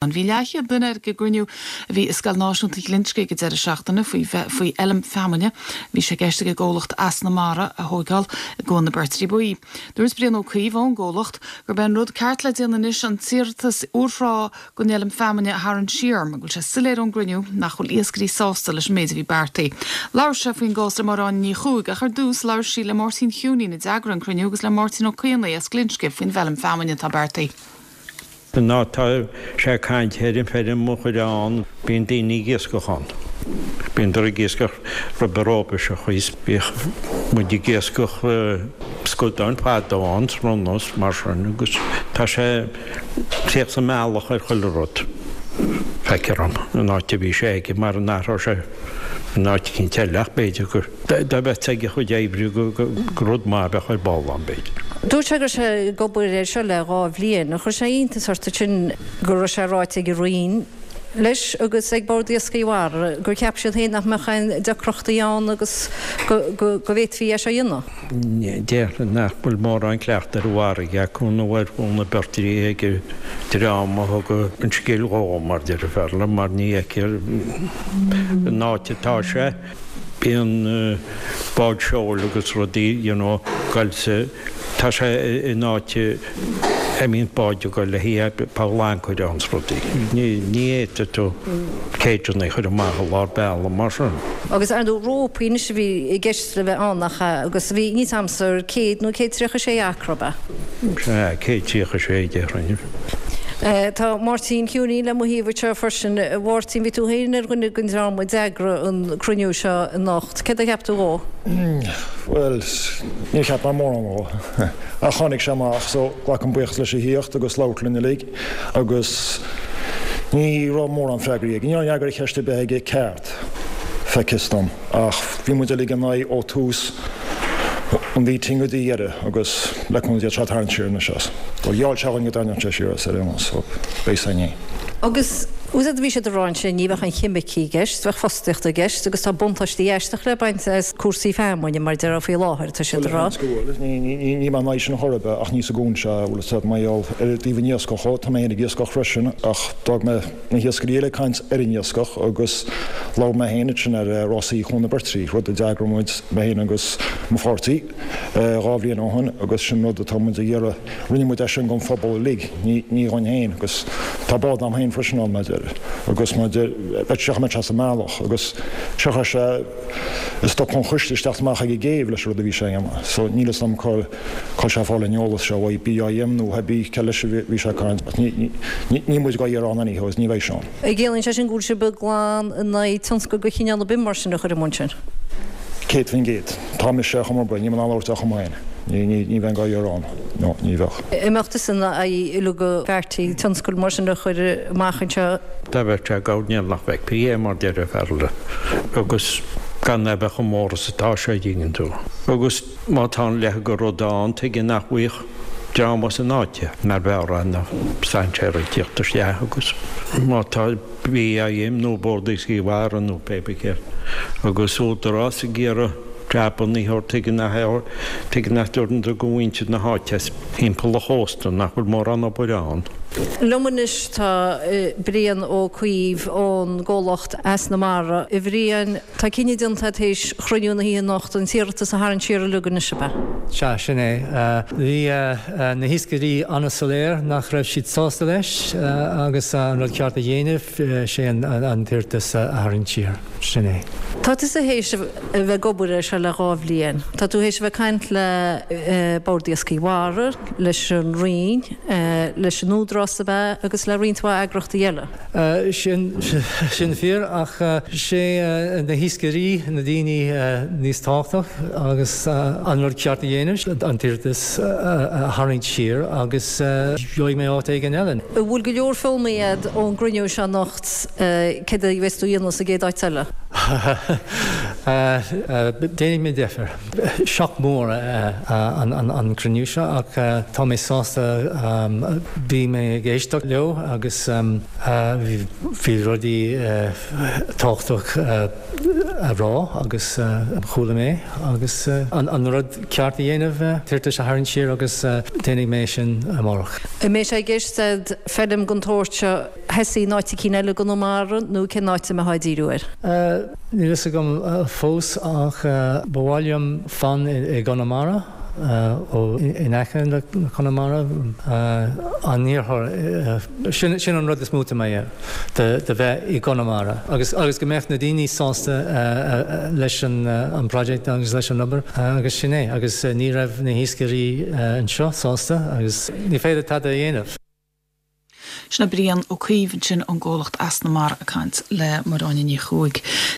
Bhí leathchéad duine ag an gcruinniú a bhí i Scoil Náisiúnta Ghlinsce ag an deireadh seachtaine faoi faoi fheilm feamainne a bhí sé i gceist ag an gcomhlacht Eas na Mara a thóigeáil i gCuan na Beirtrí Buí. Dúirt Brian Ó Cuív ón gcomhlacht gurb é an rud ceart le déanamh anois an t-iarratas úrthrá don fheilm feamainne a tharraingt siar mar go bhfuil sé soiléir ón gcruinniú nach bhfuil iascairí sásta leis an méid a bhí beartaithe. Labhair sé faoin gcás le Máire Áine Ní Chuaig ach ar dtús labhair sí le Máirtín Heughneen a d'eagraigh an cruinniú agus le Máirtín Ó Caonaigh as Glinsce faoin bhfeilm feamainne atá beartaithe. Ná tá sé ag caint ar an feirm a chur ann. Bíonn daoine ag iascach ann. Bíondar ag iascach roimhe rópa seo thíos. Bhíodh muid ag iascach scadáin fadó ann 's ronna 's mar sin agus tá sé tíocht sa mbealach ar chuile rud. Feictear dom an áit a bhí sé aige mar an athródh sé in áit eicínt eile ach b'fhéidir gur Dá mbeadh ag a chuid oibre gur rud maith a bheadh ar ball ann, b'fhéidir. Dúirt sé go raibh sé ag obair air seo le 2 bhliain. Ar chuir sé iontas ort ansin go raibh sé ráite ag an Roinn leis agus ag Bord Iascaigh Mhara gur cheap siad féin nach mbeadh aon deacrachtaí ann agus go bhféadfaí é seo a dhéanamh? Déarfainn nach bhfuil mórán cleachta ar an bhfarraige acu nó ar Chuan na Beirtrí ag an dream a thug an scéal dhó, mar déarfá, mar ní fheictear an áit atá sé. Bíonn báid seoil agus rudaí you know goil sa, tá sé in áit a mbíonn báid ag goil le haghaidh poll ancaire ann 's rudaí. Ní, ní fhéadfaidh tú cageanna a chur amach i lár bealaigh mar sin. Agus ar ndóigh rópaí anois a bhí i gceist le bheith ann nach ea agus bhí, níl 's a'msa ar 100 nó 136 acra ab ea? Sea, 136 déarfainn. Tá Máirtín Heughneen le mo thaobh anseo freisin. A Mháirtín, bhí tú féin ar dhuine den dream a d'eagraigh an cruinniú seo anocht. Céard a cheap tú dhó? Bhuel, níor cheap mé mórán dhó. Ach tháinig sé amach so glacaim buíochas leis a thíocht agus labhairt linn uilig agus ní raibh mórán freagraí aige. Ní raibh fhreagra ar cheist ar bith aige ceart, feictheas dom. Ach bhí muid uilig ina aghaidh ó tús an mhíting go dtí dheireadh agus le cúnamh Dé tá sé ag tarraingt siar anois as. Bhuel, gheall sé dhúinn go dtarraingeodh sé siar as ar aon nós so beidh a fhios againn. Agus úsáid a bhí siad a rá ansin, ní bheadh aon cheimicí i gceist, bheadh fostaíocht i gceist agus tá buntáistí aisteach le baint as cúrsaí feamainne mar a déarfá faoi láthair, tá siad a rá. Bhuel, níl mé in aghaidh sin chor ar bith ach ní sa gcuan seo, bhfuil a fhios agat, mar gheall ar dtaobh an iascach dhó, tá mé féin ag iascach freisin ach d'fhág mé na hiascairí eile ag caint ar an iascach agus labhair mé féin ansin ar rásaí Chuan na Beirtrí, rud a d'eagraigh muid, mé féin agus mo pháirtí, 2 bhliain ó shin agus sin rud atá muid ag iarraidh, rinne muid é sin don phobal uilig, ní dhúinn féin agus tá bád a'm féin freisin ann, mar agus mar bheadh sé, mbeadh sé sa mbealach agus seo chuir sé ag stop an choiste isteach amach ag an gcéibh leis an rud a bhí sé a dhéanamh so níl fhios a'm cá bhfuil sé ag fáil an eolas seo uaidh, BIM nó cibé cé leis a bhí sé ag caint ach níl muid dhá iarraidh ann anyhow agus ní bheidh sé ann. An gciallaíonn sé sin go bhfuil sibh glan in aghaidh tionscal de chineál ar bith mar sin a chur i mbun sin? 100%. Tá mise ar chuma ar bith, níl mé in ann labhairt ar chuma féin. Ní bheinn dhá iarraidh ann. No, ní bheadh. An mbeadh tusa ina aghaidh uilig go bhfeartaí tionscal mar sin a chur amach anseo? Dá bheadh sé ag gabháil níl nach bhfeicfí é mar deir an fear eile agus gan é bheith chomh mór is atá sé, an dtuigeann tú. Agus má tá an leithéid de rud ann, tuige nach bhfaigheadh dream as an áit é, mar bheadh na strainséirí ag tíocht isteach agus má tá BIM nó Bord Iascaigh Mhara nó pé bith céard agus Údarás ag iarraidh jabanna a thabhairt tuige nach tuige nach dtabharann do mhuintir na háite as thimpeall an chósta nach bhfuil mórán obair ann. Liom anois tá Brian Ó Cuív ón gcomhlacht Eas na Mara. A Bhriain, Tá cinneadh déanta tar éis chruinniú na hoíche anocht an t-iarratas a tharraingt siar uilig anois, ab ea? Sea, sin é. Bhí na hiascairí an-soiléir nach raibh siad sásta leis agus an rud ceart a dhéanamh, sé an t-iarratas a tharraingt siar. Sin é. Tá tusa théis a bheith ag obair air seo le 2 bhliain. Tá tú théis a bheith ag caint le Bord Iascaigh Mhara, leis an Roinn, leis an Údarás, ab ea, agus le roinnt mhaith eagrachtaí eile. Sin fíor, ach sé na hiascairí na daoine níos tábhachtach agus an rud ceart a dhéanamh, an t-iarratas a tharraingt siar agus gheobhaidh mé áit éigin eile. An bhfuil go leor foghlamtha a'd ón gcruinniú seo anocht céard a bheas tú a dhéanamh sa gcéad áit eile? Déanfaidh mé deifir. Shock mór an cruinniú seo ach tá mé sásta bhí mé ag éisteacht leo agus bhí rudaí tábhachtach a rá agus chuala mé agus an rud ceart a dhéanamh, t-iarratas a tharraingt siar agus déanfaidh mé sin amárach. An mbeidh sé i gceist a'd feilm den tsórt seo a thosaí in áit eicínt eile i gConamara nó cén áit a mbeifeá ag díriú air? Níl fhios agam fós ach ba mhaith liom fan i gConamara, ó in aice le Conamara, an iarthar, sin an rud is mó atá mé de bheith i gConamara agus agus go mbeadh na daoine sásta leis an project agus leis an obair agus sin é agus ní raibh na hiascairí anseo sásta agus ní féidir tada a dhéanamh. Sin é Brian Ó Cuív ansin ón gcomhlacht Eas na Mara ag caint le Máire Áine Ní Chuaig.